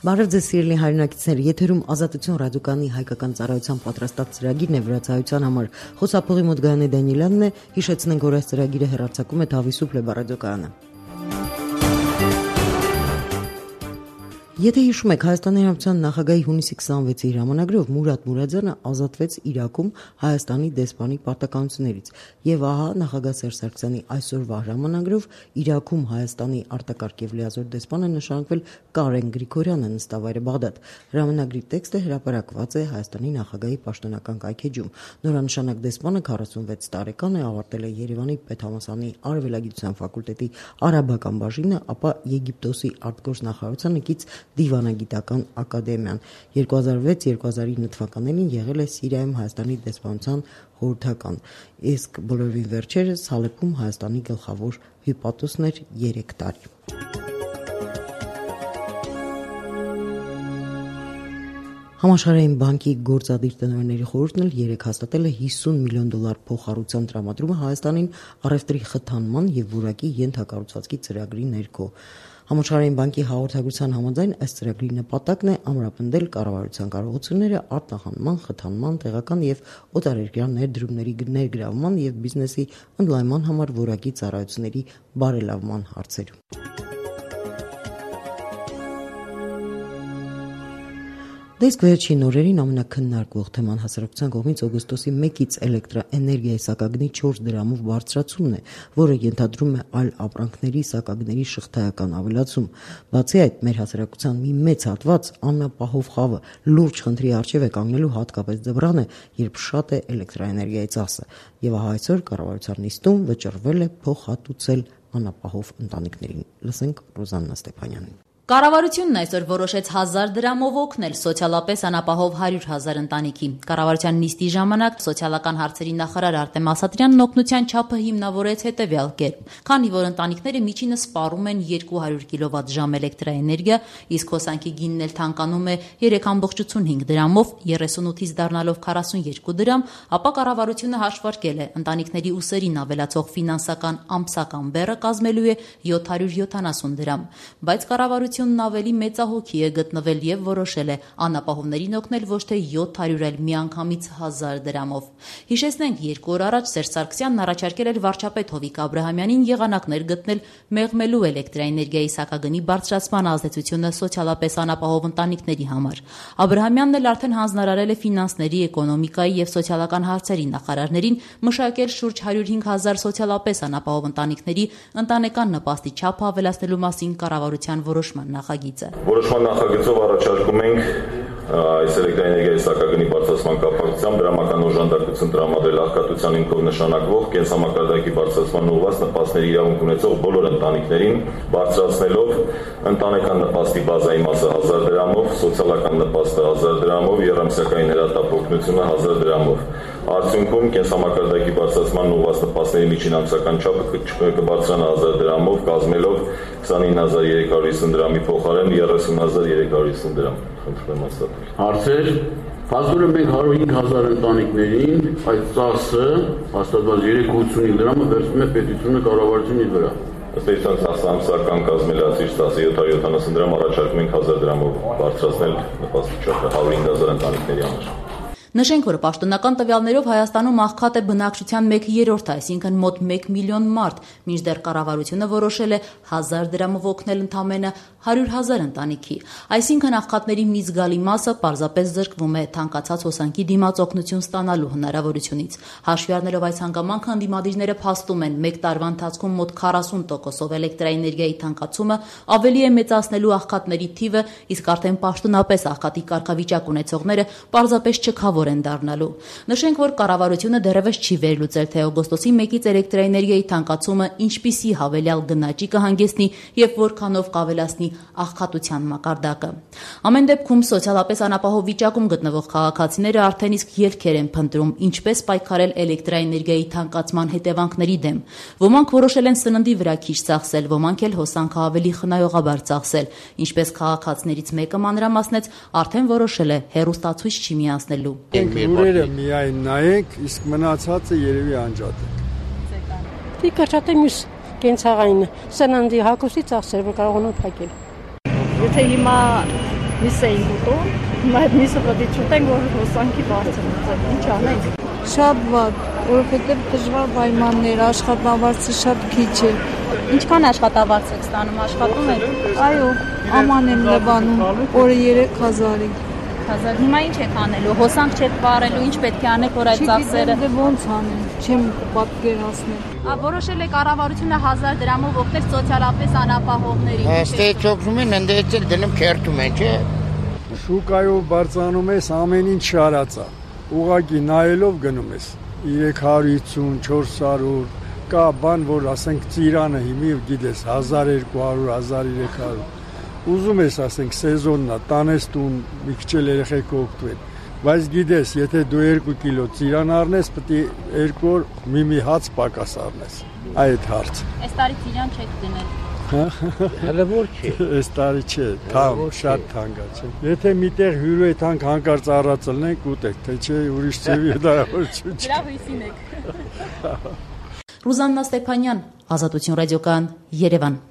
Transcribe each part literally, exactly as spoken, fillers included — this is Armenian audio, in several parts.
Բարև ձեզ սիրելի հայրենակիցներ, եթերում Ազատություն ռադիոկայանի հայկական ծառայության պատրաստած ծրագիրն է վրացայության համար։ Խոսափողի մոտ Գայանե Դանիելյանն է, հիշեցնենք, որ այս ծրագիրը հեռարձակում է Թավիսուփ ռադիոկայանը։ Եթե հիշում եք, Հայաստանի Հանրապետության նախագահի հունիսի քսանվեցի հրամանագրով Մուրադ Մուրադյանը ազատվեց Իրաքում Հայաստանի դեսպանի պարտականություններից, եւ ահա նախագահ Սերժ Սարգսյանի այսօրվա հրամանագրով Իրաքում Հայաստանի արտակարգ եւ լիազոր դեսպանը նշանակվել Կարեն Գրիգորյանը, նստավայրը Բաղդադ։ Հրամանագրի տեքստը հրապարակված է Հայաստանի նախագահի պաշտոնական կայքեջում։ Նորանշանակ դեսպանը քառասունվեց տարեկան է, ավարտել է Երևանի Պետհամասանի արևելագիտության ֆակուլտետի արաբական բաժինը, ապա Եգիպտոսի արտգործնախարարությանը կից Դիվանագիտական ակադեմիան։ երկու հազար վեց երկու հազար ինը թվականներին եղել է Սիրիայում Հայաստանի դեսպանության խորհրդական, իսկ բոլորովին վերջերս Հալեպում Հայաստանի գլխավոր հյուպատոսն էր երեք տարի։ Համաշխարհային բանկի գործադիր տնօրենների խորհուրդն էլ երեք հաստատել է հիսուն միլիոն դոլար փոխհարուցության տրամադրումը Հայաստանին առևտրի խթանման եւ որակի ենթակառուցվածքի ծրագրի ներքո։ Համաշխարհային բանկի հաղորդագրության համաձայն այս ծրագրի նպատակն է ամրապնդել կառավարության կարողությունները արտահանման, խթանման, տեղական եւ օտարերկրյա ներդրումների ներգրավման եւ բիզնեսի ընդլայնման համար որակի ծառայությունների բարելավման հարցերում։ Դեսկ վերջին օրերին ամենակննարկվող թեման հասարակության կողմից օգոստոսի մեկից էլեկտրաէներգիայի սակագնի չորս դրամով բարձրացումն է, որը ենթադրում է այլ ապրանքների սակագների շղթայական ավելացում։ Բացի այդ, մեր հասարակության մի մեծ հատված անապահով խավը լուրջ խնդրի առջև է կանգնելու, հատկապես ձմռան է, երբ շատ է էլեկտրաէներգիայի ծախսը, եւ ահա այսօր կառավարության նիստում վճռվել է փոխհատուցել անապահով ընտանիքներին։ Լսենք Ռոզաննա Ստեփանյանին։ Կառավարությունն այսօր որոշեց հազար դրամով օգնել սոցիալապես անապահով հարյուր հազար ընտանիքի։ Կառավարության նիստի ժամանակ սոցիալական հարցերի նախարար Արտեմ Ասատրյանն օգնության չափը հիմնավորեց հետևյալ կերպ. քանի որ ընտանիքները միջինը սպառում են երկու հարյուր կիլովատ-ժամ էլեկտրաէներգիա, իսկ հոսանքի գինն էլ թանկանում է երեք կόμma ութ դրամով, երեսունութից դառնալով քառասունյոթ դրամ, ապա կառավարությունը հաշվարկել է ընտանիքների ուսերին ավելացող ֆինանսական ամսական բեռը կազմելու է յոթ հարյուր յոթանասուն դրամ, բայց կառավարությունն ավելի մեծահոգի է գտնվել եւ որոշել է անապահովներին օգնել ոչ թե յոթ հարյուր, այլ միանգամից հազար դրամով։ Հիշեցնենք, երկու օր առաջ Սերժ Սարգսյանն առաջարկել էր վարչապետ Հովիկ Աբրահամյանին եղանակներ գտնել մեղմելու էլեկտրաէներգիայի սակագնի բարձրացման ազդեցությունը սոցիալապես անապահով ընտանիքների համար։ Աբրահամյանն էլ արդեն հանձնարարել է ֆինանսների, էկոնոմիկայի եւ սոցիալական հարցերի նախարարներին մշակել շուրջ հարյուր հինգ հազար սոցիալապես անապահով ընտանիքների ընտանեկան նպաստի չափը ավելացնելու մասին կառավարության որոշման նախագիծը։ Որոշման նախագծով առաջարկում ենք այս էլեկտրաէներգիայի սակագնի բարձրացման կապակցությամբ դրամական օժանդակություն տրամադրել աղքատության հիմքով նշանակվող կենսամակարդակի բարձրացման ուղղված նպաստների իրավունք ունեցող բոլոր ընտանիքներին, բարձրացնելով ընտանեկան նպաստի բազայի մասը հազար դրամով, սոցիալական նպաստը հազար դրամով, եռամսյակային հրատապ օգնությունը հազար դրամով։ Արդյունքում կենսամակարդակի բարձրացման ուղղված նպաստների միջին ամսական չափը կբարձրանա հազար դրամով, կազմելով քսանինը հազար երեք հարյուր հիսուն դրամի փոխարեն երեսուն հազար երեք հարյուր հիսուն դրամ։ Խնդրում եմ հաստատել։ Հարցեր։ Փաստորեն մենք հարյուր հինգ հազար ընտանիքներին այդ ծախսը հաստատված երեք հարյուր ութսունհինգ դրամը վերցնում է պետությունը կառավարությունի վրա։ Ըստ էության ծախսը ամսական կազմելացիչ ծախսը յոթ հարյուր յոթանասուն դրամ առաջարկում ենք հազար դրամով բարձրացնել նպաստի չափը հարյուր հինգ հազար ընտանիքների համար։ Նշենք, որ պաշտոնական տվյալներով Հայաստանում աղքատ է բնակչության մեկ երրորդը, այսինքն մոտ մեկ միլիոն մարդ, մինչդեռ կառավարությունը որոշել է հազար դրամով օգնել ընդամենը հարյուր հազար ընտանիքի։ Այսինքն աղքատների մի զգալի մասը պարզապես զրկվում է թանկացած հոսանքի դիմաց օգնություն ստանալու հնարավորությունից։ Հաշվի առնելով այս հանգամանքը, ընդդիմադիրները փաստում են մեկ տարվա ընթացքում մոտ քառասուն տոկոսով էլեկտրաէներգիայի թանկացումը ավելի է մեծացնելու աղքատների թիվը, իսկ արդեն պաշտոնապես աղքատի կարգավիճակ ունեցողները պարզապես չքավոր են դառնալու։ Նշենք, որ կառավարությունը դեռևս չի վերլուծել, թե օգոստոսի մեկից էլեկտրաէներգիայի թանկացումը ինչպիսի հավելյալ գնաճի կհանգեցնի եւ որքանով կավելացնի աղքատության մակարդակը։ Ամեն դեպքում սոցիալապես անապահով վիճակում գտնվող քաղաքացիները արդեն իսկ ելքեր են փնտրում ինչպես պայքարել էլեկտրաէներգիայի թանկացման հետևանքների դեմ։ Ոմանք որոշել են սննդի վրա քիչ ծախսել, ոմանք էլ հոսանքը ավելի խնայողաբար ծախսել, ինչպես քաղաքացիներից մեկը մանրամասնեց, արդեն որոշել է հեռուստացույց չի միացնելու։ Ուրերը միայն նայեք, իսկ մնացածը երևի անջատ է։ Դի կրճատեմ յուս կենցաղային սննդի հագուստի ծախսերը, որ կարող են փակել։ Եթե հիմա միս էին ուտում, հիմա այդ միսը պետք է չուտենք, որ հոսանքի բարձրացնենք, ինչ անենք։ Շատ վատ, որովհետև դժվար պայմաններ, աշխատավարձը շատ քիչ է։ Ինչքան աշխատավարձ եք ստանում, աշխատում եք։ Այո, աման եմ լվանում, օրը երեք հազարի։ Հազար։ Հիմա ինչ եք անելու, հոսանք չեք վարելու, ինչ պետք է անեք, որ այդ ծախսերը։ Չգիտեմ, դե ոնց անեմ, չեմ պատկերացնել։ Որոշել է կառավարությունը հազար դրամով օգնել սոցիալապես անապահովներին։ Այստեղ օգնում են, ընդդեմ էլ դնում քերթում են, չէ։ Շուկայով բարձրանում ես ամեն ինչ շարածա։ Ուղղակի նայելով գնում ես երեք հարյուր հիսուն, չորս հարյուր, կա բան, որ ասենք ծիրանը հիմի գիտես հազար երկու հարյուր, հազար երեք հարյուր։ Ուզում ես ասենք սեզոնն է, տանես տուն, մի քիչ էլ երեխեք օգտվեն։ Բայց գիտես, եթե դու երկու կիլո ծիրան առնես, պետք է երկու օր մի-մի հաց պակաս առնես։ Այդ հարց։ Այս տարի ծիրան չեք դնել։ Հələ որ չի։ Այս տարի չէ, թամ, շատ թանկ է, չէ։ Եթե միտեղ հյուրու է թանկ հանկարծ առածելնենք ուտեք, թե չէ ուրիշ ծևի հնարավորություն չի։ Լավ հույսին եք։ Ռուզաննա Ստեփանյան, Ազատություն ռադիոկայան, Երևան։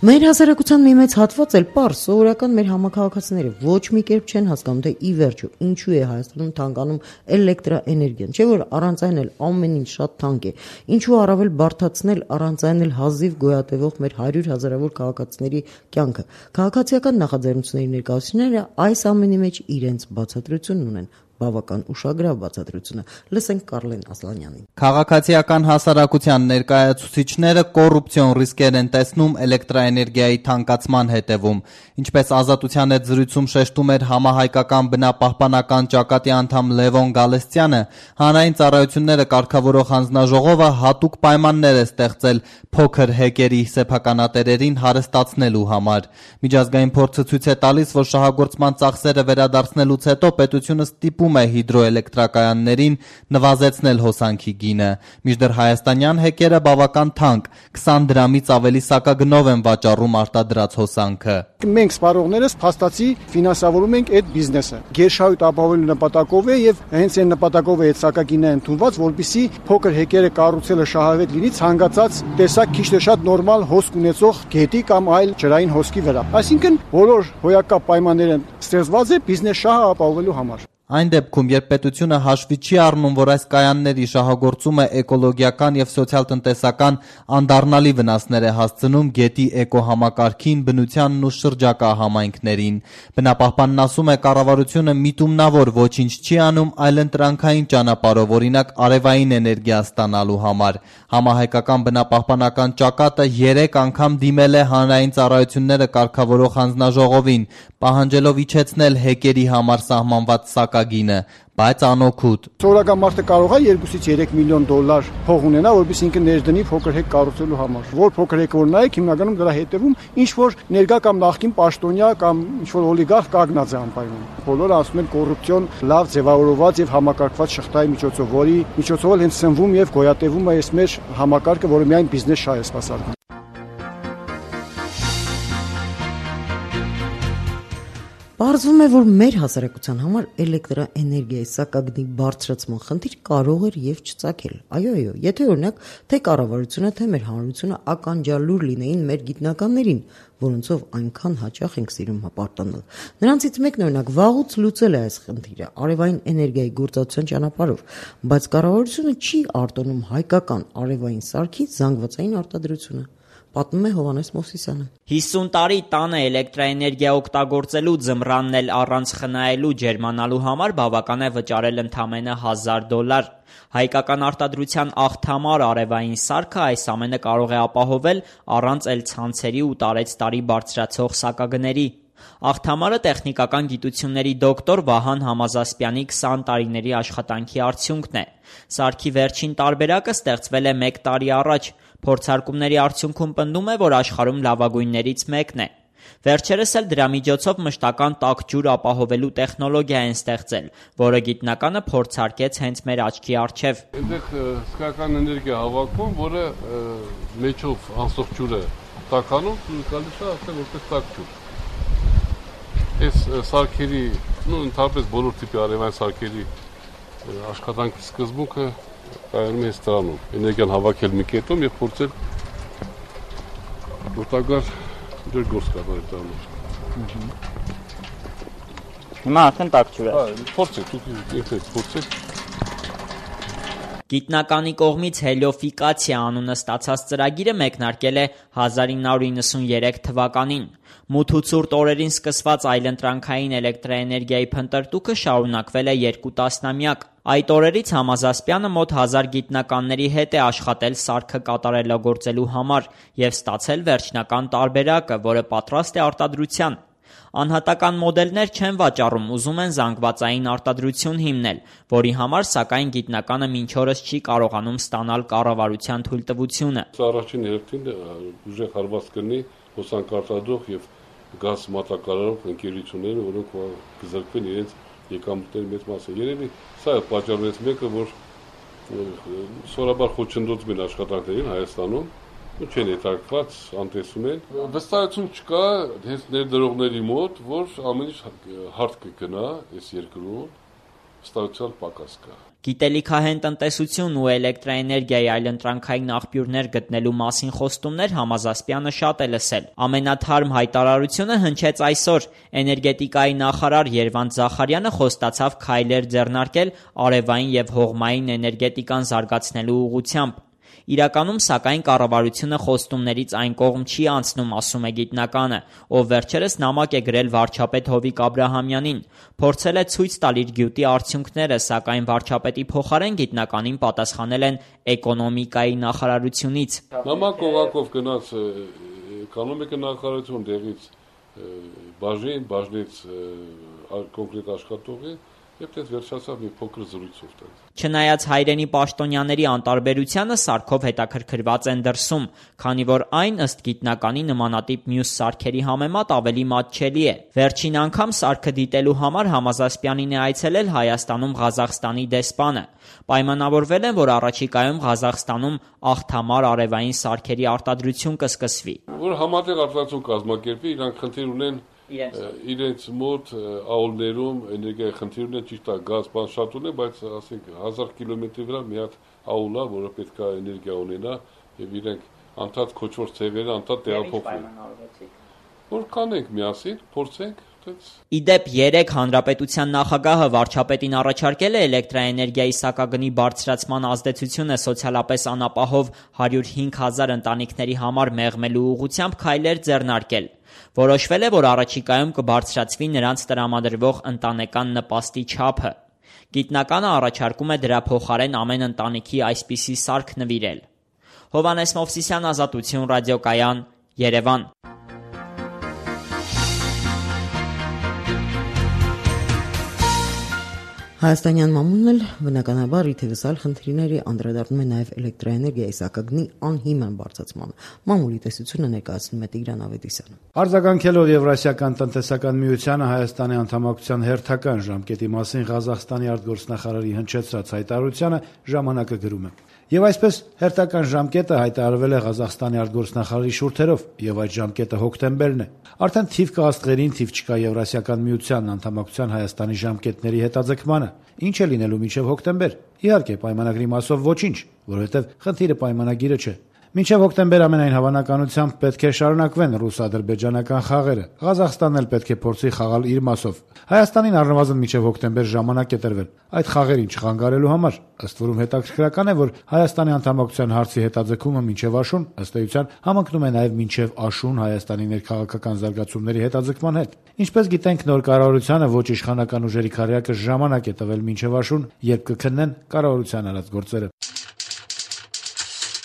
Մեր հասարակության մի մեծ հատված էլ պարզ սովորական մեր համակարգացիները ոչ մի կերպ չեն հասկանում, թե ի վերջո ինչու է Հայաստանում թանկանում էլեկտրաէներգիան, չէ՞ որ առանց այն էլ ամեն ինչ շատ թանկ է, ինչու առավել բարդացնել առանց այն էլ հազիվ գոյատևող մեր հարյուր հազարավոր քաղաքացիների կյանքը։ Քաղաքացիական նախաձեռնությունների ներկայացուցիչները այս ամենի մեջ իրենց բացատրությունն ունեն։ Բավական ուշագրավ բացատրությունը։ Լսենք Կարլեն Ասլանյանին։ Քաղաքացիական հասարակության ներկայացուցիչները կոռուպցիոն ռիսկեր են տեսնում էլեկտրաէներգիայի թանկացման հետևում, ինչպես Ազատության հետ զրույցում շեշտում էր համահայկական բնապահպանական ճակատի անդամ Լևոն Գալստյանը, հանրային ծառայությունները կարգավորող հանձնաժողովը հատուկ պայմաններ է ստեղծել փոքր հեկերի սեփականատերերին հարստացնելու համար։ Միջազգային փորձը ցույց է տալիս, որ շահագործման ծախսերը վերադարձնելուց հետո պետությունը ստիպում է հիդրոէլեկտրակայաններին նվազեցնել հոսանքի գինը, մինչդեռ հայաստանյան հեկերը բավական թանկ, քսան դրամից ավելի սակագնով են վաճառում արտադրած հոսանքը։ Մենք սպառողներս փաստացի ֆինանսավորում ենք այդ բիզնեսը։ Գերշահույթ ապահովելու նպատակով է եւ հենց այն նպատակով է այդ սակագինը ընդունված, որպեսզի փոքր հեկերը կառուցելը շահավետ լինի ցանկացած տեսակ քիչ թե շատ նորմալ հոսք ունեցող գետի կամ այլ ջրային հոսքի վրա։ Այսինքն բոլոր հոյակապ պայմանները ստեղծված է բիզնես շահը ապահովելու համար։ Այն դեպքում, երբ պետությունը հաշվի չի առնում, որ այս կայանների շահագործումը էկոլոգիական եւ սոցիալ-տնտեսական անդառնալի վնասներ է հասցնում գետի էկոհամակարգին, բնությանն ու շրջակա համայնքներին, բնապահպանն ասում է, կառավարությունը միտումնավոր ոչինչ չի անում, այլ ընտրանքային ճանապարհով, օրինակ արևային էներգիա ստանալու համար։ Համահայկական բնապահպանական ճակատը երեք անգամ դիմել է հանրային ծառայությունները կարգավորող հանձնաժողովին, պահանջելով իջեցնել հեկերի համար սահմանված սակագինը, բայց անօգուտ։ Սովորական մարդը կարող է երկուսից երեք միլիոն դոլար փող ունենա, որպեսզի ինքը ներդնի փոքր հեկ կառուցելու համար։ Որ փոքր հեկ որ նայեք, հիմնականում դրա հետևում ինչ որ ներկա կամ նախկին պաշտոնյա կամ ինչ որ օլիգարխ կանգնած է անպայման։ Բոլորը ասում են կոռուպցիոն լավ ձևավորված եւ համակարգված շղթայի միջոցով, որի միջոցով էլ հենց սնվում եւ գոյատևում է այս մեր համակարգը, որը միայն բիզնես շահ է սպասարկում։ Պարզվում է, որ մեր հասարակության համար էլեկտրաէներգիայի սակագնի բարձրացման խնդիր կարող էր եւ չծագել։ Այո, այո, եթե օրինակ թե կառավարությունը, թե մեր հանրությունը ականջալուր լինեին մեր գիտնականներին, որոնցով այնքան հաճախ ենք սիրում հպարտանալ։ Նրանցից մեկն օրինակ վաղուց լուծել է այս խնդիրը արևային էներգիայի գործածության ճանապարհով, բայց կառավարությունը չի արտոնում հայկական արևային սարքի զանգվածային արտադրությունը։ Պատմում է Հովհաննես Մովսիսյանը։ հիսուն տարի տանը էլեկտրաէներգիա օգտագործելու, ձմռանն էլ առանց խնայելու, ջերմանալու համար բավական է վճարել ընդամենը հազար դոլար։ Հայկական արտադրության աղթամար արևային սարքը այս ամենը կարող է ապահովել առանց էլ ցանցերի ու տարեց տարի բարձրացող սակագների։ Աղթամարը տեխնիկական գիտությունների դոկտոր Վահան Համազասպյանի քսան տարիների աշխատանքի արդյունքն է։ Սարքի վերջին տարբերակը ստեղծվել է մեկ տարի առաջ։ Փորձարկումների արդյունքում պնդում է, որ աշխարհում լավագույններից մեկն է։ Վերջերս էլ դրա միջոցով մշտական տաք ջուր ապահովելու տեխնոլոգիա են ստեղծել, որը գիտնականը փորձարկեց հենց մեր աչքի առջև։ Այնտեղ հսկայական էներգիա հավաքում, որը մեջով անցող ջուրը տականում, գալիս է ասել որպես տաք ջուր։ Այս սարքերի, նո ընդհանրապես բոլոր տիպի արևային սարքերի աշխատանքի սկզբունքը կայանում է դրանում, էներգիան հավաքել մի կետում եւ փորձել օտագար դեր գործ կատարել տալու։ Հիմա արդեն տակ ջուր է։ Հա, փորձեք, դուք ինքներդ փորձեք։ Գիտնականի կողմից հելիոֆիկացիա անունը ստացած ծրագիրը մեկնարկել է հազար ինը հարյուր նվաթ թվականին։ Մութ ու ցուրտ օրերին սկսված այլընտրանքային էլեկտրաէներգիայի փնտրտուքը շարունակվել է երկու տասնամյակ։ Այդ օրերից Համազասպյանը մոտ հազար գիտնականների հետ է աշխատել սարքը կատարելագործելու համար և ստացել վերջնական տարբերակը, որը պատրաստ է արտադրության։ Անհատական մոդելներ չեն վաճառում, ուզում են զանգվածային արտադրություն հիմնել, որի համար սակայն գիտնականը մինչ օրս չի կարողանում ստանալ կառավարության թույլտվությունը։ Առաջին հերթին ուժեղ հարված կլինի հոսանքարտադրող եւ գազ մատակարարող ընկերությունները, որոնք կզրկվեն իրենց եկամուտների մեծ մասը։ Երևի սա է պատճառներից մեկը, որ սովորաբար խոչընդոտում են աշխատանքներին Հայաստանում, ու չեն հետաքրքրված, անտեսում են։ Վստահություն չկա հենց ներդրողների մոտ, որ ամեն ինչ հարթ կգնա այս երկրում, վստահության պակաս կա։ Գիտելիքահեն տնտեսություն ու էլեկտրաէներգիայի այլընտրանքային աղբյուրներ գտնելու մասին խոստումներ Համազասպյանը շատ է լսել։ Ամենաթարմ հայտարարությունը հնչեց այսօր։ Էներգետիկայի նախարար Երվանդ Զախարյանը խոստացավ քայլեր ձեռնարկել արևային և հողմային էներգետիկան զարգացնելու ուղղությամբ։ Իրականում, սակայն, կառավարությունը խոստումներից այն կողմ չի անցնում, ասում է գիտնականը, ով վերջերս նամակ է գրել վարչապետ Հովիկ Աբրահամյանին։ Փորձել է ցույց տալ իր գյուտի արդյունքները, սակայն վարչապետի փոխարեն գիտնականին պատասխանել են էկոնոմիկայի նախարարությունից։ Նամակ օղակով գնաց էկոնոմիկա նախարարություն դեղից բաժին, բաժնից կոնկրետ աշխատողի Եվ դες վերջացավ մի փոքր զրույցով տենց։ Չնայած հայրենի պաշտոնյաների անտարբերությանը սարքով հետաքրքրված են դրսում, քանի որ այն ըստ գիտնականի նմանատիպ մյուս սարքերի համեմատ ավելի մատչելի է։ Վերջին անգամ սարքը դիտելու համար Համազասպյանին է այցելել Հայաստանում Ղազախստանի դեսպանը։ Պայմանավորվել են, որ առաջիկայում Ղազախստանում աղթամար արևային սարքերի արտադրություն կսկսվի։ Որ համատեղ արտադրություն կազմակերպի, իրանք խնդիր ունեն իրենց մոտ աուլներում էներգիայի խնդիր ունեն, ճիշտ է, գազ բան շատ ունեն, բայց ասենք հազար կիլոմետրի վրա մի հատ աուլ է, որը պետք է էներգիա ունենա եւ իրենք անդադ քոչվոր ցեղերը անդադ տեղափոխվեն։ Որ կանենք միասին, փորձենք։ Իդեպ երեկ Հանրապետության նախագահը վարչապետին առաջարկել է էլեկտրաէներգիայի սակագնի բարձրացման ազդեցությունը սոցիալապես անապահով հարյուր հինգ հազար ընտանիքների համար մեղմելու ուղղությամբ քայլեր ձեռնարկել։ Որոշվել է, որ առաջիկայում կբարձրացվի նրանց տրամադրվող ընտանեկան նպաստի չափը։ Գիտնականը առաջարկում է դրա փոխարեն ամեն ընտանիքի այսպիսի սարք նվիրել։ Հովհաննես Մովսիսյան, Ազատություն ռադիոկայան, Երևան։ Հայաստանյան մամուլն էլ բնականաբար իթևս այլ խնդիրների անդրադառնում է նաև էլեկտրաէներգիայի սակագնի անհիմն բարձրացմանը։ Մամուլի տեսությունը ներկայացնում է Տիգրան Ավետիսյանը։ Արձագանքելով Եվրասիական տնտեսական միությանը Հայաստանի անդամակցության հերթական ժամկետի մասին Ղազախստանի արտգործնախարարի հնչեցրած հայտարարությանը ժամանակը գրում է. Եվ այսպես հերթական ժամկետը հայտարարվել է Ղազախստանի արտգործնախարարի շուրթերով, եւ այդ ժամկետը հոկտեմբերն է։ Արդեն թիվ կա աստղերին, թիվ չկա Եվրասիական միության անդամակցության Հայաստանի ժամկետների հետաձգմանը։ Ինչ է լինելու մինչև հոկտեմբեր։ Իհարկե, պայմանագրի մասով ոչինչ, որովհետև խնդիրը պայմանագիրը չէ։ Մինչև հոկտեմբեր ամենայն հավանականությամբ պետք է շարունակվեն ռուս-ադրբեջանական խաղերը։ Ղազախստանն էլ պետք է փորձի խաղալ իր մասով։ Հայաստանին առնվազն մինչև հոկտեմբեր ժամանակ է տրվել այդ խաղերին չխանգարելու համար։ Ըստ որում հետաքրքրական է, որ Հայաստանի անդամակցության հարցի հետաձգումը մինչև աշուն ըստ էության համընկնում է նաև մինչև աշուն Հայաստանի ներքաղաքական զարգացումների հետաձգման հետ։ Ինչպես գիտենք, նոր կառավարությանը ոչ իշխանական ուժերի քարյակը ժամանակ է տվել մինչև աշուն, երբ կքննեն կառավարության արած գործերը։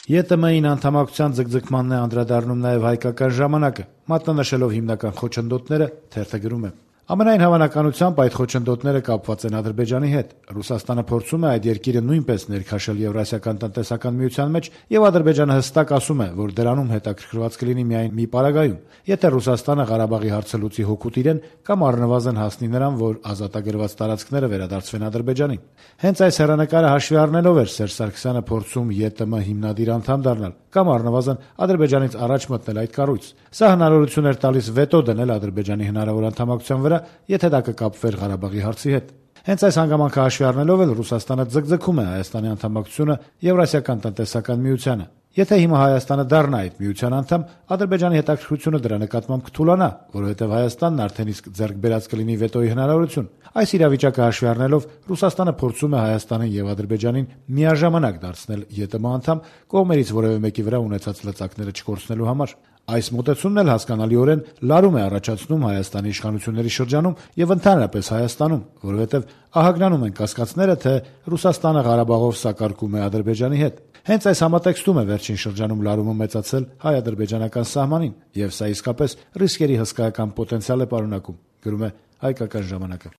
ԵՏՄ-ին անդամակցության ձգձգմանն է անդրադառնում նաև հայկական ժամանակը, մատնանշելով հիմնական խոչընդոտները, թերթը գրում է. Ամենայն հավանականությամբ այդ խոչընդոտները կապված են Ադրբեջանի հետ։ Ռուսաստանը փորձում է այդ երկիրը նույնպես ներքաշել Եվրասիական տնտեսական միության մեջ, եւ Ադրբեջանը հստակ ասում է, որ դրանում հետաքրքրված կլինի միայն մի պարագայում, եթե Ռուսաստանը Ղարաբաղի հարցը լուծի հօգուտ իրեն կամ առնվազն հասնի նրան, որ ազատագրված տարածքները վերադարձվեն Ադրբեջանին։ Հենց այս հեռանկարը հաշվի առնելով էր Սերժ Սարգսյանը փորձում ԵՏՄ հիմնադիր անդամ դառնալ կամ առնվազն Ադրբեջանից առաջ մտնել այդ կառույց։ Սա հնարավորություն էր տալիս վետո դնել Ադրբեջանի հնարավոր անդամակցության վրա, եթե դա կկապվեր Ղարաբաղի հարցի հետ։ Հենց այս հանգամանքը հաշվի առնելով էլ Ռուսաստանը ձգձգում է Հայաստանի անդամակցությունը Եվրասիական տնտեսական միությանը։ Եթե հիմա Հայաստանը դառնա այդ միության անդամ, Ադրբեջանի հետաքրքրությունը դրա նկատմամբ կթուլանա, որովհետև Հայաստանն արդեն իսկ ձեռք բերած կլինի վետոյի հնարավորություն։ Այս իրավիճակը հաշվի առնելով Ռուսաստանը փորձում է Հայաստանին եւ Ադրբեջանին միաժամանակ դարձնել ԵՏՄ անդամ, կողմերից որևէ մեկի վրա ունեցած լծակները չկորցնելու համար։ Այս մոտեցումն էլ հասկանալիորեն լարում է առաջացնում Հայաստանի իշխանությունների շրջանում եւ ընդհանրապես Հայաստանում, որովհետեւ ահագնանում են կասկածները, թե Ռուսաստանը Ղարաբաղով սակարկում է Ադրբեջանի հետ։ Հենց այս համատեքստում է վերջին շրջանում լարումը մեծացել հայ-ադրբեջանական սահմանին, եւ սա իսկապես ռիսկերի հսկայական պոտենցիալ է պարունակում, գրում է Հայկական ժամանակը։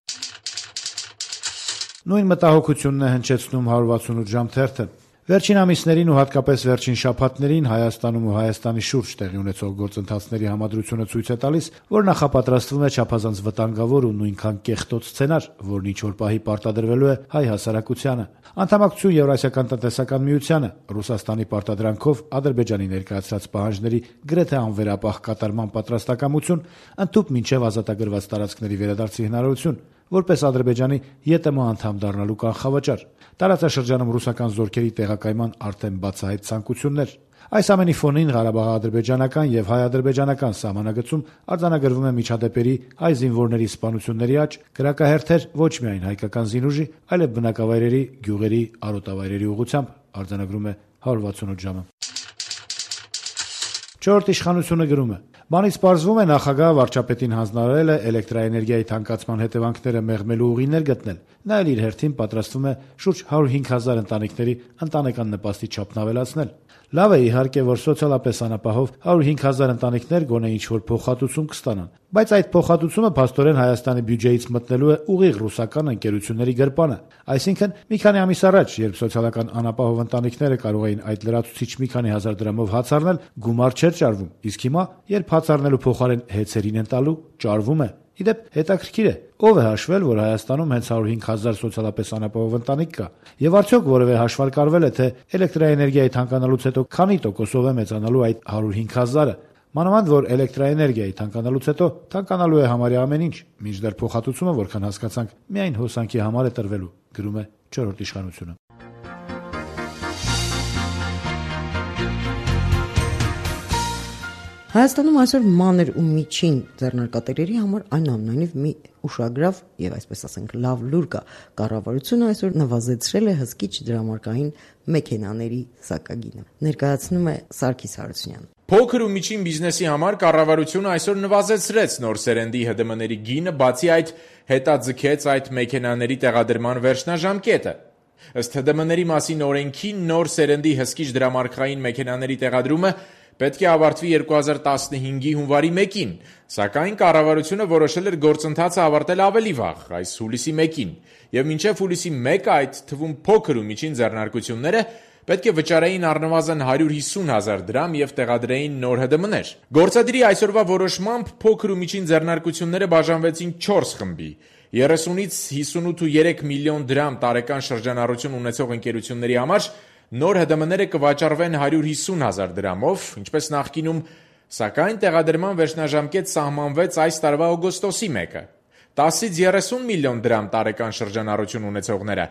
Նույն մտահոգությունն է հնչեցնում հարյուր վաթսունութ ժամ թերթը։ Վերջին ամիսներին ու հատկապես վերջին շաբաթներին Հայաստանում ու Հայաստանի շուրջ տեղի ունեցող գործընթացների համադրությունը ցույց է տալիս, որ նախապատրաստվում է չափազանց վտանգավոր ու նույնքան կեղտոտ սցենար, որն ինչ-որ պահի պարտադրվելու է հայ հասարակությանը։ Անդամակցություն Եվրասիական տնտեսական միությանը, Ռուսաստանի պարտադրանքով Ադրբեջանի ներկայացրած պահանջների գրեթե անվերապահ կատարման պատրաստակամություն, ընդհուպ մինչև ազատագրված տարածքների վերադարձի հնարավորություն, որպես Ադրբեջանի ԵՏՄ անդամ դառնալու կանխավճար, տարածաշրջանում ռուսական զորքերի տեղակայման արդեն բացահայտ ցանկություններ։ Այս ամենի ֆոնին Ղարաբաղ-ադրբեջանական եւ հայ-ադրբեջանական սահմանագծում արձանագրվում է միջադեպերի հայ զինվորների սպանությունների աճ, կրակահերթեր ոչ միայն հայկական զինուժի, այլև բնակավայրերի, գյուղերի, արոտավայրերի ուղղությամբ, արձանագրում է հարյուր վաթսունութ ժամը։ Չորրորդ իշխանությունը գրում է. Բանից պարզվում է նախագահը վարչապետին հանձնարարել է էլեկտրաէներգիայի թանկացման հետևանքները մեղմելու ուղիներ գտնել։ Նա էլ իր հերթին պատրաստվում է շուրջ հարյուր հինգ հազար ընտանիքների ընտանեկան նպաստի չափն ավելացնել։ Լավ է իհարկե, որ սոցիալապես անապահով հարյուր հինգ հազար ընտանիքներ գոնե ինչ-որ փոխհատուցում կստանան, բայց այդ փոխհատուցումը փաստորեն Հայաստանի բյուջեից մտնելու է ուղիղ ռուսական ընկերությունների գրպանը։ Այսինքն, մի քանի ամիս առաջ, երբ սոցիալական անապահով ընտանիքները կարող էին այդ լրացուցիչ մի քանի հազար դրամով հաց առնել, գումար չէր ճարվում, իսկ հիմա, երբ հաց առնելու փոխարեն հեծերին են տալու, ճարվում է։ Իդեպ հետաքրքիր է, ով է հաշվել, որ Հայաստանում հենց հարյուր հինգ հազար սոցիալապես անապահով ընտանիք կա, եւ արդյոք որևէ հաշվարկարվել է, թե էլեկտրաէներգիայի թանկանալուց հետո քանի տոկոսով է մեծանալու այդ հարյուր հինգ հազարը։ Մանավանդ որ էլեկտրաէներգիայի թանկանալուց հետո թանկանալու է համարյա ամեն ինչ, մինչդեռ փոխհատուցումը, որքան հասկացանք, միայն հոսանքի համար է տրվելու, գրում է չորրորդ իշխանությունը։ Հայաստանում այսօր մանր ու միջին ձեռնարկատերերի համար այնուամենայնիվ մի ուշագրավ եւ այսպես ասենք լավ լուր կա։ Կառավարությունը այսօր նվազեցրել է հսկիչ դրամարկային մեքենաների սակագինը։ Ներկայացնում է Սարգիս Հարությունյանը։ Փոքր ու միջին բիզնեսի համար կառավարությունը այսօր նվազեցրեց նոր սերնդի Հ ԴՄ ների գինը, բացի այդ հետաձգեց այդ մեքենաների տեղադրման վերջնաժամկետը։ Ըստ Հ ԴՄ ների մասին օրենքի նոր սերնդի հսկիչ դրամարկային մեքենաների տեղադրումը պետք է ավարտվի երկու հազար տասնհինգի հունվարի մեկին, սակայն կառավարությունը որոշել էր գործընթացը ավարտել ավելի վաղ, այս հուլիսի մեկին, եւ մինչեւ հուլիսի մեկը այդ թվում փոքր ու միջին ձեռնարկությունները պետք է վճարեին առնվազն հարյուր հիսուն հազար դրամ եւ տեղադրեին նոր Հ ԴՄ ներ։ Գործադիրի այսօրվա որոշմամբ փոքր ու միջին ձեռնարկությունները բաժանվեցին չորս խմբի՝ երեսունից հիսունութ միլիոն դրամ տարեկան շրջանառություն ունեցող ընկերությունների համար նոր Հ ԴՄ ները կվաճառվեն հարյուր հիսուն հազար դրամով, ինչպես նախկինում, սակայն տեղադրման վերջնաժամկետ սահմանվեց այս տարվա օգոստոսի մեկը։ տասից երեսուն միլիոն դրամ տարեկան շրջանառություն ունեցողները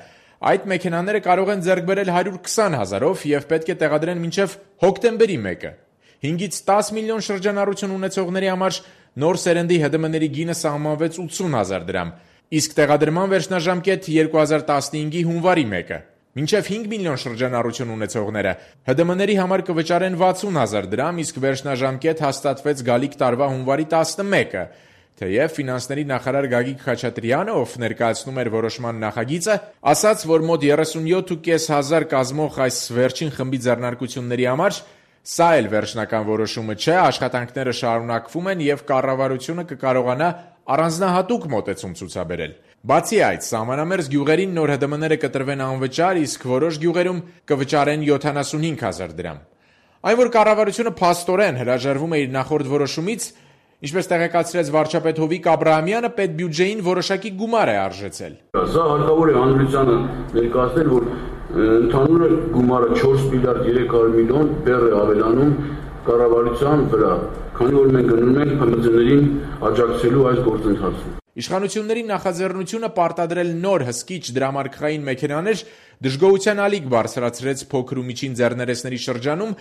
այդ մեքենաները կարող են ձեռք բերել հարյուր քսան հազարով եւ պետք է տեղադրեն մինչեւ հոկտեմբերի մեկը։ հինգից տաս միլիոն շրջանառություն ունեցողների համար նոր սերնդի Հ ԴՄ ների գինը սահմանվեց ութսուն հազար դրամ, իսկ տեղադրման վերջնաժամկետ երկու հազար տասնհինգի հունվարի մեկը։ Մինչև հինգ միլիոն շրջանառություն ունեցողները Հ ԴՄ ների համար կվճարեն վաթսուն հազար դրամ, իսկ վերջնաժամկետ հաստատվեց գալիք տարվա հունվարի տասնմեկը, թեև ֆինանսների նախարար Գագիկ Խաչատրյանը, ով ներկայացնում էր որոշման նախագիծը, ասաց, որ մոտ երեսունյոթ ու կես հազար կազմող այս վերջին խմբի ձեռնարկությունների համար սա էլ վերջնական որոշումը չէ, աշխատանքները շարունակվում են եւ կառավարությունը կկարողանա առանձնահատուկ մոտեցում ցուցաբերել։ Բացի այդ, սահմանամերձ գյուղերին նոր Հ ԴՄ ները կտրվեն անվճար, իսկ որոշ գյուղերում կվճարեն յոթանասունհինգ հազար դրամ։ Այն որ կառավարությունը փաստորեն հրաժարվում է իր նախորդ որոշումից, ինչպես տեղեկացրեց վարչապետ Հովիկ Աբրահամյանը, պետբյուջեին որոշակի գումար է արժեցել։ Սա հարկավոր է հանրությանը ներկայացնել, որ ընդհանուր գումարը չորս միլիարդ երեք հարյուր միլիոն բեռ է ավելանում կառավարության վրա, քանի որ մենք գնում ենք Փ Մ Ծ-ներին աջակցելու այս գործընթացում։ Իշխանությունների նախաձեռնությունը պարտադրել նոր հսկիչ դրամարկղային մեքենաներ դժգոհության ալիք բարձրացրեց փոքր ու միջին ձեռներեցների շրջանում,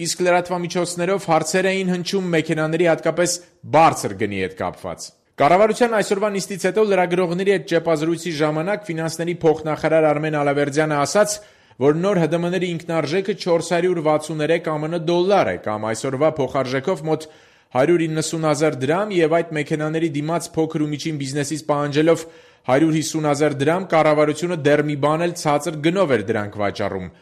իսկ լրատվամիջոցներով հարցեր էին հնչում մեքենաների հատկապես բարձր գնի հետ կապված։ Կառավարության այսօրվա նիստից հետո լրագրողների հետ ճեպազրույցի ժամանակ ֆինանսների փոխնախարար Արմեն Ալավերդյանը ասաց, որ նոր ՀԴՄ-ների ինքնարժեքը չորս հարյուր վաթսուներեք ԱՄՆ դոլար է, կամ այսօրվա փոխարժեքով մոտ հարյուր իննսուն հազար դրամ, եւ այդ մեքենաների դիմաց փոքր ու միջին բիզնեսից պահանջելով հարյուր հիսուն հազար դրամ, կառավարությունը դեռ մի բան էլ ցածր գնով էր դրանք վաճառում։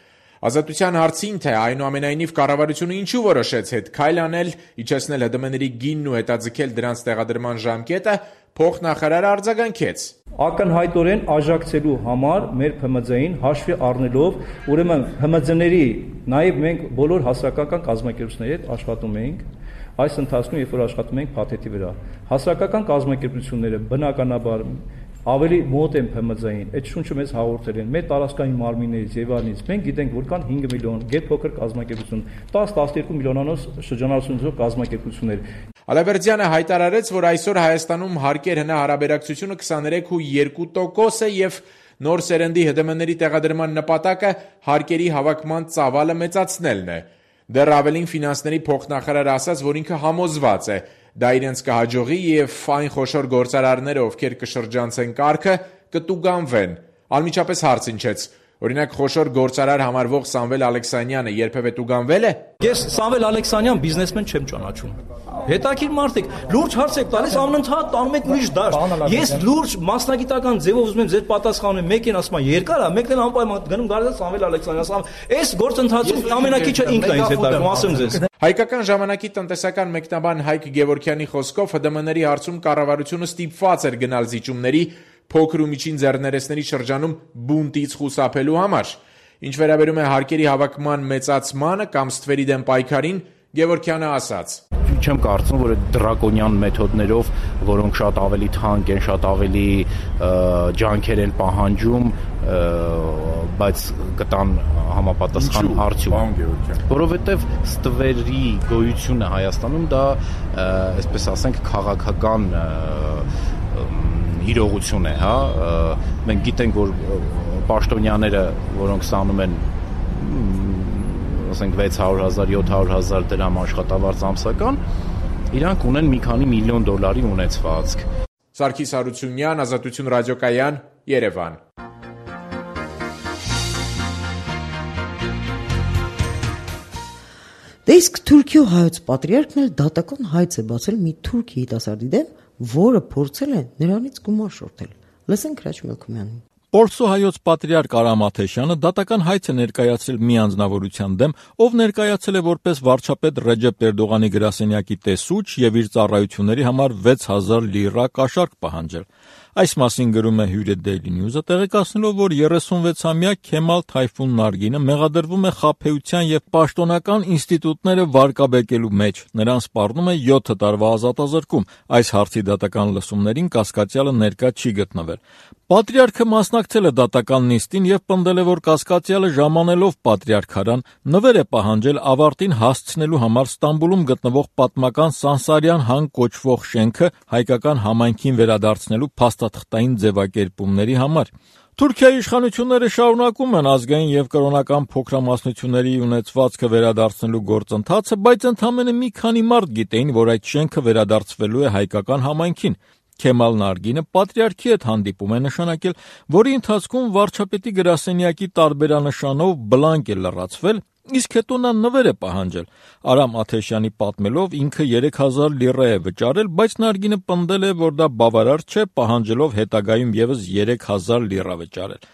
Ազատության հարցին, թե այնուամենայնիվ կառավարությունը ինչու որոշեց հետ քայլ անել, իջեցնել ՀԴՄ-ների գինն ու հետաձգել դրանց տեղադրման ժամկետը, փոխնախարարը արձագանքեց. Ակնհայտորեն աջակցելու համար մեր ՓՄԶ-ին հաշվի առնելով, ուրեմն ՀՄԶ-ների, նաև մենք բոլոր հասարակական կազմակերպությունների հետ աշխատում էինք այս ընթացքում, երբ որ աշխատում ենք փաթեթի վրա։ Հասարակական կազմակերպությունները բնականաբար ավելի մոտ են ՓՄԶ-ին, այդ շունչը մեզ հաղորդել են, մեր տարածքային մարմիններից եւ այլնից։ Մենք գիտենք, որ կան հինգ միլիոն գերփոքր կազմակերպություն, տաս տասներկու միլիոնանոց շրջանառություններով կազմակերպություններ։ Ալավերդյանը հայտարարեց, որ այսօր Հայաստանում հարկեր հնարաբերակցությունը քսաներեք ու երկու տոկոս է եւ նոր սերնդի ՀԴՄ-ների տեղադրման նպատակը հարկերի հավաքման ծավալը մեծացնելն է։ Դեռ ավելին ֆինանսների փոխնախարարը ասաց, որ ինքը համոզված է, դա իրենց կհաջողի եւ այն խոշոր գործարարները, ովքեր կշրջանցեն կարգը, կտուգանվեն։ Անմիջապես հարց հնչեց. Օրինակ խոշոր գործարար համարվող Սամվել Ալեքսանյանը երբևէ տուգանվել է։ Ես Սամվել Ալեքսանյան բիզնեսմեն չեմ ճանաչում։ Հետաքրքիր մարդ եք, լուրջ հարց եք տալիս, անընդհատ տանում եք ուրիշ դաշտ։ Ես լուրջ մասնագիտական ձևով ուզում եմ ձեր պատասխանը, մեկին ասում եմ երկար է, մեկն էլ անպայման գնում գալիս Սամվել Ալեքսանյան։ Այս գործընթացում ամենակիչը ինքն է ինձ հետաքրքրում, ասեմ ձեզ։ Հայկական ժամանակի տնտեսական մեկնաբան Հայկ Գևորգյանի խոսքով ՀԴՄ-ների հարցում կառավարությունը ստիպված էր գնալ զիջումների փոքր ու միջին ձեռներեցների շրջանում բունտից խուսափելու համար։ Ինչ վերաբերում է հարկերի հավաքման մեծացմանը կամ ստվերի դեմ պայքարին, Գևորգյանը ասաց. Չեմ կարծում, որ այդ դրակոնյան մեթոդներով, որոնք շատ ավելի թանկ են, շատ ավելի ջանքեր են պահանջում, բայց կտան համապատասխան արդյունք։ Որովհետև ստվերի գոյությունը Հայաստանում դա, այսպես ասենք, քաղաքական իրողություն է, հա, մենք գիտենք, որ պաշտոնյաները, որոնք ստանում են ասենք վեց հարյուր հազար, յոթ հարյուր հազար դրամ աշխատավարձ ամսական, իրանք ունեն մի քանի միլիոն դոլարի ունեցվածք։ Սարգիս Հարությունյան, Ազատություն ռադիոկայան, Երևան։ Դե իսկ Թուրքիո հայոց պատրիարքն էլ դատական հայց է բացել մի թուրք երիտասարդի դեմ, որը փորձել է նրանից գումար շորթել։ Լսենք Հրաչ Մելքումյանին։ Պորսո հայոց պատրիարք Արամ Աթեշյանը դատական հայց է ներկայացրել մի անձնավորության դեմ, ով ներկայացել է որպես վարչապետ Ռեջեփ Էրդողանի գրասենյակի տեսուչ եւ իր ծառայությունների համար վեց հազար լիրա կաշառք պահանջել։ Այս մասին գրում է Հյուրե Daily News-ը, տեղեկացնելով, որ երեսունվեցամյա Քեմալ Թայֆուն Նարգինը մեղադրվում է խաբեության եւ պաշտոնական ինստիտուտները վարկաբեկելու մեջ։ Նրան սպառնում է յոթ տարվա ազատազրկում։ Այս հարցի դատական լսումներին կասկածյալը ներկա չի գտնվել։ Պատրիարքը մասնակցել է դատական նիստին եւ պնդել է, որ կասկածյալը ժամանելով պատրիարքարան նվեր է պահանջել ավարտին հասցնելու համար Ստամբուլում գտնվող պատմական Սանսարյան հան կոչվող շենքը հայկական համայնքին վերադարձնելու փաստաթղթային ձևակերպումների համար։ Թուրքիայի իշխանությունները շարունակում են ազգային եւ կրոնական փոքրամասնությունների ունեցվածքը վերադարձնելու գործընթացը, բայց ընդամենը մի քանի մարդ գիտեին, որ այդ շենքը վերադարձվելու է հայկական համայնքին։ Քեմալ Նարգինը պատրիարքի հետ հանդիպում է նշանակել, որի ընթացքում վարչապետի գրասենյակի տարբերանշանով բլանկ է լրացվել, իսկ հետո նա նվեր է պահանջել։ Արամ Աթեշյանի պատմելով ինքը երեք հազար լիրա է վճարել, բայց Նարգինը պնդել է, որ դա բավարար չէ, պահանջելով հետագայում եւս երեք հազար լիրա վճարել։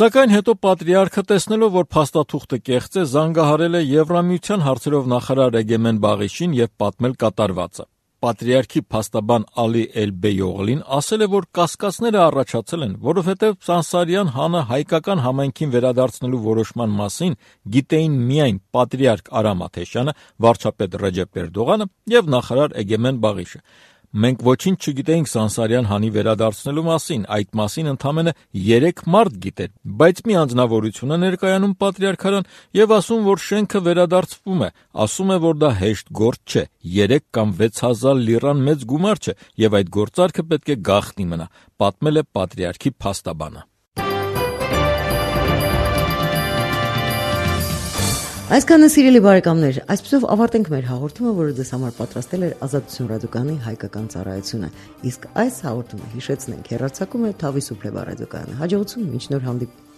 Սակայն հետո պատրիարքը տեսնելով, որ փաստաթուղթը կեղծ է, զանգահարել է Եվրամիության հարցերով նախարար Էգեմեն Բաղիշին եւ պատմել կատարվածը։ Պատրիարքի փաստաբան Ալի Էլբեյօղլին ասել է, որ կասկածները առաջացել են, որովհետև Սանսարյան հանը հայկական համայնքին վերադարձնելու որոշման մասին գիտեին միայն պատրիարք Արամ Աթեշյանը, վարչապետ Ռեջեփ Էրդողանը եւ նախարար Էգեմեն Բաղիշը։ Մենք ոչինչ չգիտեինք Սանսարյան հանի վերադարձնելու մասին, այդ մասին ընդամենը երեք մարդ գիտեր, բայց մի անձնավորություն է ներկայանում պատրիարքարան եւ ասում, որ շենքը վերադարձվում է, ասում է, որ դա հեշտ գործ չէ, երեք կամ վեց հազար լիրան մեծ գումար չէ եւ այդ գործարքը պետք է գաղտնի մնա, պատմել է պատրիարքի փաստաբանը։ Այսքանը սիրելի բարեկամներ, այսպեսով ավարտենք մեր հաղորդումը, որը ձեզ համար պատրաստել էր Ազատություն ռադիոկայանի հայկական ծառայությունը։ Իսկ այս հաղորդումը հիշեցնենք հեռարձակում է Թավի Սուփլեվա ռադիոկայանը։ Հաջողություն, մինչ նոր հանդիպում։